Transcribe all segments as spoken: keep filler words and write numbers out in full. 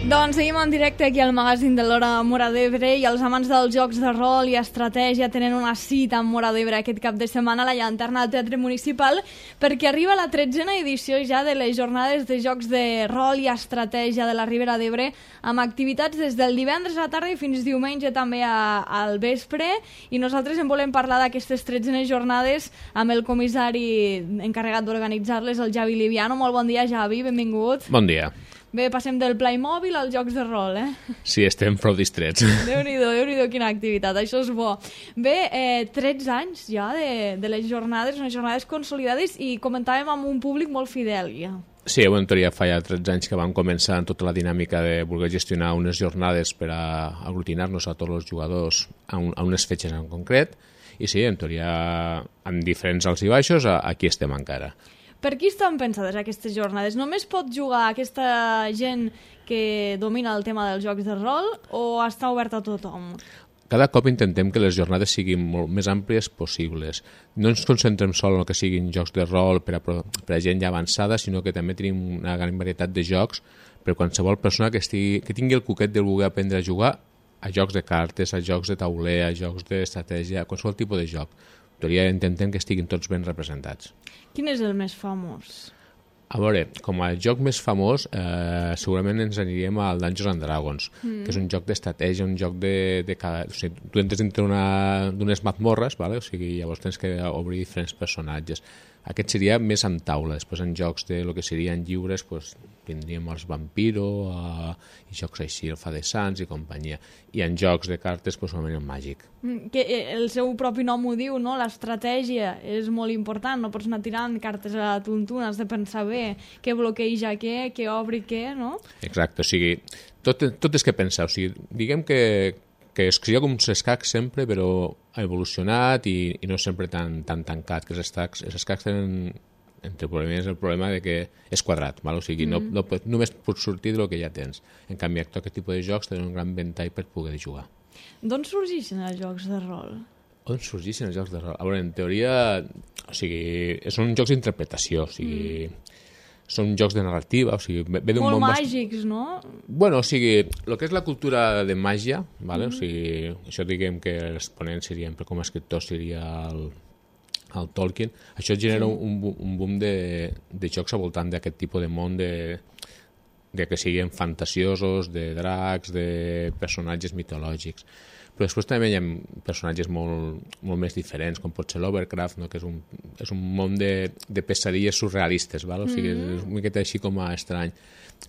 Doncs seguim en directe aquí al magazín de l'Hora Móra d'Ebre i els amants dels jocs de rol i estratègia tenen una cita amb Móra d'Ebre aquest cap de setmana a la Llanterna del Teatre Municipal perquè arriba la tretzena edició ja de les jornades de jocs de rol i estratègia de la Ribera d'Ebre amb activitats des del divendres a la tarda i fins diumenge també a, al vespre i nosaltres en volem parlar d'aquestes tretzenes jornades amb el comissari encarregat d'organitzar-les, el Javi Liviano. Molt bon dia, Javi, benvingut. Bon dia. Bé, passem del Playmobil als jocs de rol, eh? Sí, estem prou distrets. Déu-n'hi-do, Déu-n'hi-do, quina activitat, això és bo. Bé, eh, tretze anys ja de, de les jornades, unes jornades consolidades i comentàvem amb un públic molt fidel, ja. Sí, en teoria fa ja tretze anys que vam començar en tota la dinàmica de voler gestionar unes jornades per a aglutinar-nos a tots els jugadors a, un, a unes fetges en concret i sí, en teoria, amb diferents alts i baixos, aquí estem encara. Per qui estan pensades aquestes jornades? Només pot jugar aquesta gent que domina el tema dels jocs de rol o està obert a tothom? Cada cop intentem que les jornades siguin molt més àmplies possibles. No ens concentrem sol en el que siguin jocs de rol per a, per a gent ja avançada, sinó que també tenim una gran varietat de jocs per a qualsevol persona que, estigui, que tingui el cuquet de voler aprendre a jugar a jocs de cartes, a jocs de tauler, a jocs d'estratègia, a qualsevol tipus de joc. En teoria intentem que estiguin tots ben representats. Quin és el més famós? A veure, com a joc més famós, eh, segurament ens aniríem al Dungeons and Dragons, mm. que és un joc d'estratègia, un joc de... de cada... o sigui, tu entres dintre d'unes mazmorres, vale? O sigui, llavors tens que obrir diferents personatges. Aquest seria més amb taula. Després en jocs de lo que serien lliures pues, tindríem els Vampiro uh, i jocs així, el Fa de Sants i companyia. I en jocs de cartes, pues, solament el Màgic. Mm, que el seu propi nom ho diu, no? L'estratègia és molt important. No pots anar tirant cartes a la tuntuna, has de pensar bé què bloqueja què, què obri què, no? Exacte, o sigui, tot, tot és que pensar. O sigui, diguem que que es cria com un escacs sempre, però ha evolucionat i, i no sempre tan, tan tancat, que els escacs, els escacs tenen entre problemes el problema de que és quadrat, val? O sigui, mm. no, no, només pots sortir del que ja tens. En canvi, aquest tipus de jocs tenen un gran ventall per poder jugar. D'on sorgeixen els jocs de rol? On sorgeixen els jocs de rol? A veure, en teoria, o sigui, són jocs d'interpretació, o sigui... Mm. Són jocs de narrativa, o sigui... Ve d'un molt bon màgics, no? Bueno, o sigui, el que és la cultura de màgia, ¿vale? Mm. O sigui, això diguem que els ponents serien, per com a escriptor seria el, el Tolkien, això genera sí. un, un boom de, de jocs al voltant d'aquest tipus de món de, de que siguin fantasiosos, de dracs, de personatges mitològics. Però després també hi ha personatges molt, molt més diferents, com pot ser l'Overcraft, no? Que és un, és un món de, de pesadilles surrealistes, val? O sigui, mm-hmm. és una miqueta així com a estrany.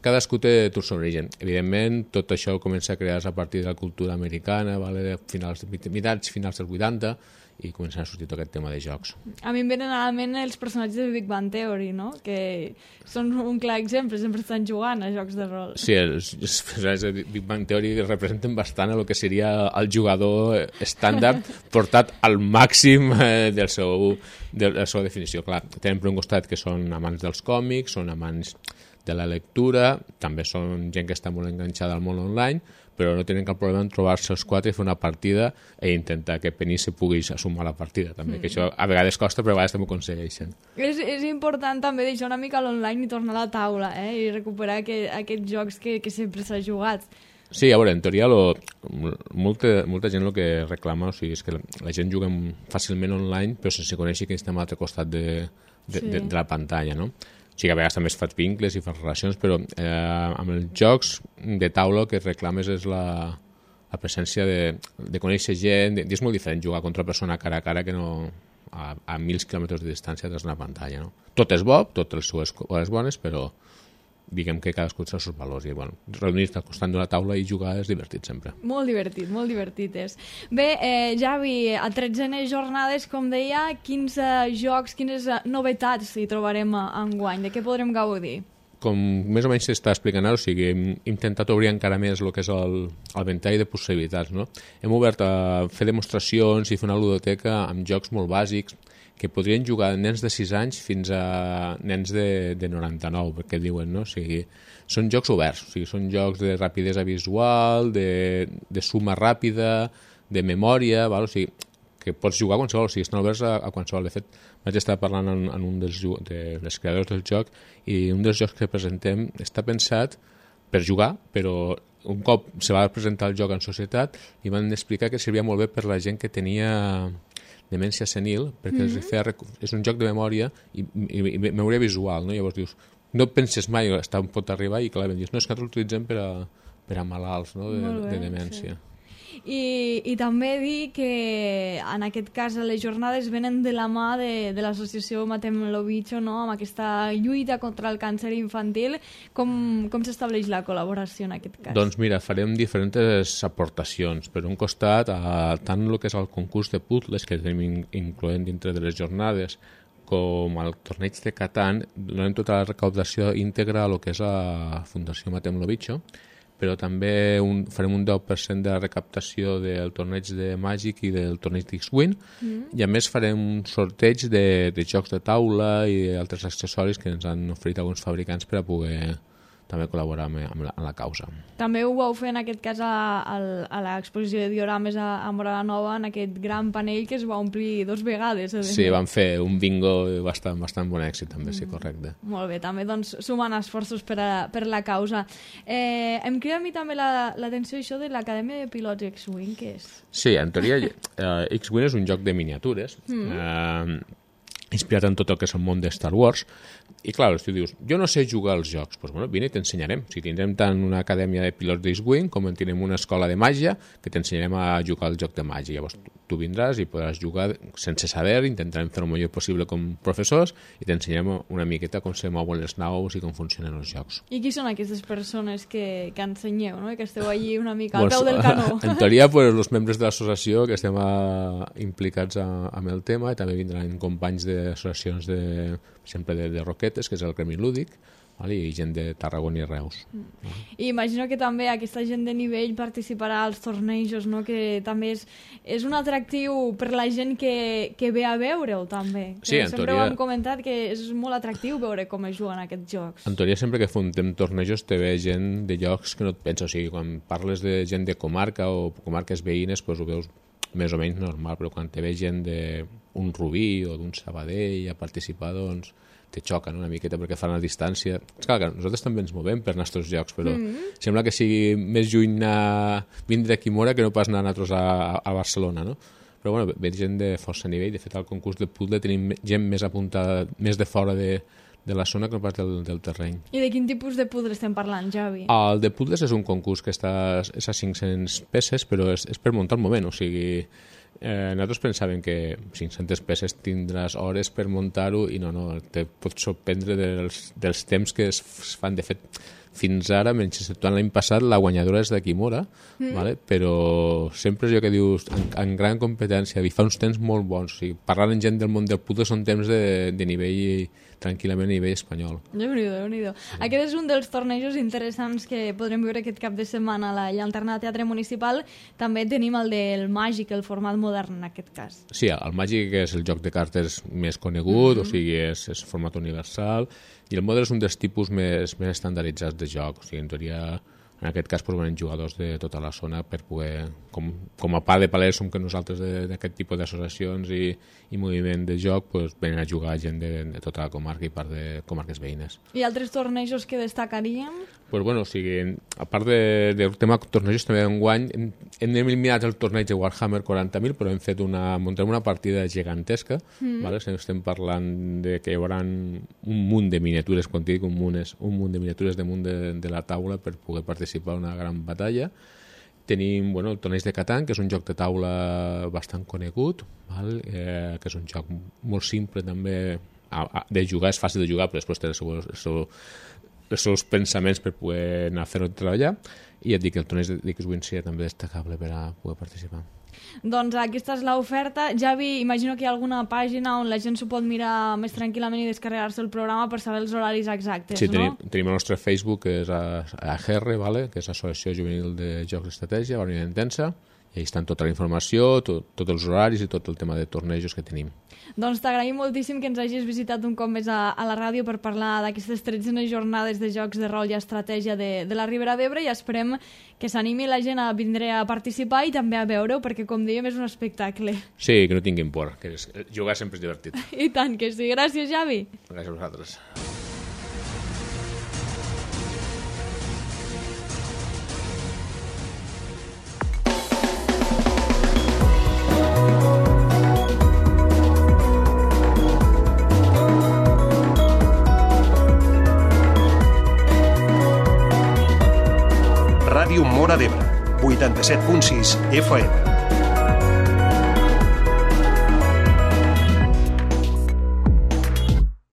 Cadascú té el seu origen. Evidentment, tot això comença a crear-se a partir de la cultura americana, vale? De finals, mitjans, finals dels vuitanta, i començant a sortir tot aquest tema de jocs. A mi em venen a la ment els personatges de Big Bang Theory, no? Que són un clar exemple, sempre estan jugant a jocs de rol. Sí, els, els personatges de Big Bang Theory representen bastant el que seria el jugador estàndard portat al màxim eh, del seu, de la seva definició. Clar, tenen per un costat que són amants dels còmics, són amants de la lectura, també són gent que està molt enganxada al món online, però no tenen cap problema en trobar-se els quatre i fer una partida i intentar que Penny se pugui sumar a la partida, també, mm. que això a vegades costa, però a vegades també ho aconsegueixen. És, és important també deixar una mica l'online i tornar a la taula, eh? I recuperar que, aquests jocs que, que sempre s'ha jugat. Sí, a veure, en teoria lo, molta, molta gent el que reclama, o sigui, és que la, la gent juga fàcilment online, però sense conèixer que estem a l'altre costat de, de, sí. de, de la pantalla, no? Sí que a vegades també es fas vincles i fas relacions, però eh, amb els jocs de taula el que reclames és la, la presència de, de conèixer gent, de, és molt diferent jugar contra una persona cara a cara que no a, a mil quilòmetres de distància des d'una pantalla, no? Tot és bo, tot les seves coses bones, però diguem que cadascú té els seus valors i bueno, reunir-te al costat d'una taula i jugar és divertit sempre. Molt divertit, molt divertit és. Bé, eh, Javi, a tretzenes jornades, com deia, quins uh, jocs, quines uh, novetats hi trobarem uh, enguany? De què podrem gaudir? Com més o menys s'està explicant ara, o sigui, hem intentat obrir encara més el que és el, el ventall de possibilitats, no? Hem obert a fer demostracions i fer una ludoteca amb jocs molt bàsics que podrien jugar nens de sis anys fins a nens de, de noranta-nou, perquè diuen, no? O sigui, són jocs oberts, o sigui, són jocs de rapidesa visual, de, de suma ràpida, de memòria, val? O sigui, que pots jugar a qualsevol, o sigui, estan oberts a, a qualsevol. De fet, vaig estar parlant en, en un dels de les creadors del joc i un dels jocs que presentem està pensat per jugar, però un cop se va presentar el joc en societat i van explicar que servia molt bé per la gent que tenia demència senil, perquè mm-hmm. feia, és un joc de memòria i, i, i memòria visual, no? Llavors dius, no et penses mai està on pot arribar i clar, dius, no, és que l'utilitzem per a, per a malalts, no? de, bé, de demència. Sí. I, i també dir que en aquest cas les jornades venen de la mà de, de l'associació Matem lo Bicho, no? Amb aquesta lluita contra el càncer infantil. Com, com s'estableix la col·laboració en aquest cas? Doncs mira, farem diferents aportacions. Per un costat, a, tant el que és el concurs de puzzles que tenim incloent dintre de les jornades com el torneig de Catan, donem tota la recaudació íntegra a lo que és la Fundació Matem lo Bicho, però també un, farem un deu per cent de la recaptació del torneig de Màgic i del torneig d'X-Wing, mm. i a més farem un sorteig de, de jocs de taula i altres accessoris que ens han oferit alguns fabricants per a poder també col·laborar amb, amb, la, amb la causa. També ho vau fer en aquest cas a, a, a l'exposició de diorames a, a Morada Nova, en aquest gran panell que es va omplir dos vegades. Eh? Sí, vam fer un bingo bastant, bastant bon èxit també, mm. sí, correcte. Molt bé, també doncs sumant esforços per, a, per la causa. Eh, em crida a mi també l'atenció la, això de l'Acadèmia de Pilots X-Wing, què és? Sí, en teoria eh, X-Wing és un joc de miniatures, mm. eh, inspirat en tot el que és el món de Star Wars. I clar, tu dius, jo no sé jugar als jocs, doncs bueno, vine i t'ensenyarem. Si tindrem tant una acadèmia de pilots d'X-Wing com en tindrem una escola de màgia que t'ensenyarem a jugar al joc de màgia. Llavors tu vindràs i podràs jugar sense saber, intentarem fer el millor possible com professors i t'ensenyarem una miqueta com se mouen les naus i com funcionen els jocs. I qui són aquestes persones que, que ensenyeu, no? Que esteu allí una mica al peu del canó? En teoria, pues, els membres de l'associació que estem a, implicats a, amb el tema, i també vindran companys d'associacions de, per exemple, de, de Roquetes, que és el Gremi Lúdic, vale? I gent de Tarragona i Reus. Mm. Uh-huh. I imagino que també aquesta gent de nivell participarà als tornejos, no? Que també és, és un atractiu per la gent que, que ve a veure-ho, també. Sí, en sempre teoria... ho hem comentat, que és molt atractiu veure com es juguen aquests jocs. En teoria, sempre que fontem tornejos te ve gent de llocs que no et pensa. O sigui, quan parles de gent de comarca o comarques veïnes, doncs ho veus més o menys normal, però quan te ve gent d'un Rubí o d'un Sabadell a participar, doncs te xoca, no? Una miqueta perquè fan la distància. És clar que nosaltres també ens movem per nostres jocs, però mm-hmm. sembla que sigui més lluny anar, vindre a Quimora que no pas anar nosaltres a, a Barcelona, no? Però bueno, ve gent de força nivell. De fet, al concurs de puzzle tenim gent més apuntada, més de fora de, de la zona que no pas del, del terreny. I de quin tipus de puzzle estem parlant, Javi? El de puzzles és un concurs que està, és a cinc-centes peces, però és, és per muntar el moment, o sigui... Eh, nosaltres pensàvem que cinc-centes peces tindràs hores per muntar-ho i no, no, te pots sorprendre dels, dels temps que es fan. De fet, fins ara, menys exceptuant l'any passat, la guanyadora és de Quimora, mm. vale? Però sempre és allò que dius, en, en gran competència, i fa uns temps molt bons. O sigui, parlant amb gent del món del puzzle són temps de, de nivell, tranquil·lament a nivell espanyol. Déu-n'hi-do, Déu-n'hi-do. Sí. Aquest és un dels tornejos interessants que podrem veure aquest cap de setmana a la Llanterna de Teatre Municipal. També tenim el del Màgic, el format modern en aquest cas. Sí, el Màgic és el joc de cartes més conegut, mm-hmm. o sigui, és, és format universal, i el Modern és un dels tipus més, més estandarditzats de joc. O sigui, en teoria, en aquest cas, venen jugadors de tota la zona per poder, com, com a part de palers som que nosaltres d'aquest tipus d'associacions i, i moviment de joc, pues, venen a jugar gent de, de tota la comarca i part de comarques veïnes. I altres tornejos que destacaríem? Pues bueno, o sigui, a part de, del tema tornejos, també enguany hem, hem eliminat el torneig de Warhammer quaranta mil, però hem fet una, muntem una partida gegantesca, mm. vale? Estem parlant de que hi haurà un munt de miniatures, quan dic un munt és un munt de miniatures damunt de, de la taula per poder participar en una gran batalla. Tenim bueno, el torneig de Catan, que és un joc de taula bastant conegut, val? Eh, que és un joc molt simple també a, a, de jugar, és fàcil de jugar, però després té el seu, el seu els seus pensaments per poder anar a fer-ho treballar, i et dic que el torneig d'X-Wing seria també destacable per a poder participar. Doncs aquesta és l'oferta. Javi, imagino que hi ha alguna pàgina on la gent s'ho pot mirar més tranquil·lament i descarregar-se el programa per saber els horaris exactes, sí, no? Tenim, tenim el nostre Facebook, que és a, a G R, vale? Que és l'Associació Juvenil de Jocs d'Estratègia, Barcelona Intensa, i ahí estan tota la informació, tot, tots els horaris i tot el tema de tornejos que tenim. Doncs t'agraïm moltíssim que ens hagis visitat un cop més a, a la ràdio per parlar d'aquestes tretzenes jornades de jocs de rol i estratègia de, de la Ribera d'Ebre, i esperem que s'animi la gent a vindre a participar i també a veure-ho, perquè com dèiem és un espectacle. Sí, que no tinguin por, que és, jugar sempre és divertit. I tant que sí. Gràcies, Javi. Gràcies a vosaltres. Móra d'Ebre, vuitanta-set punt sis F M.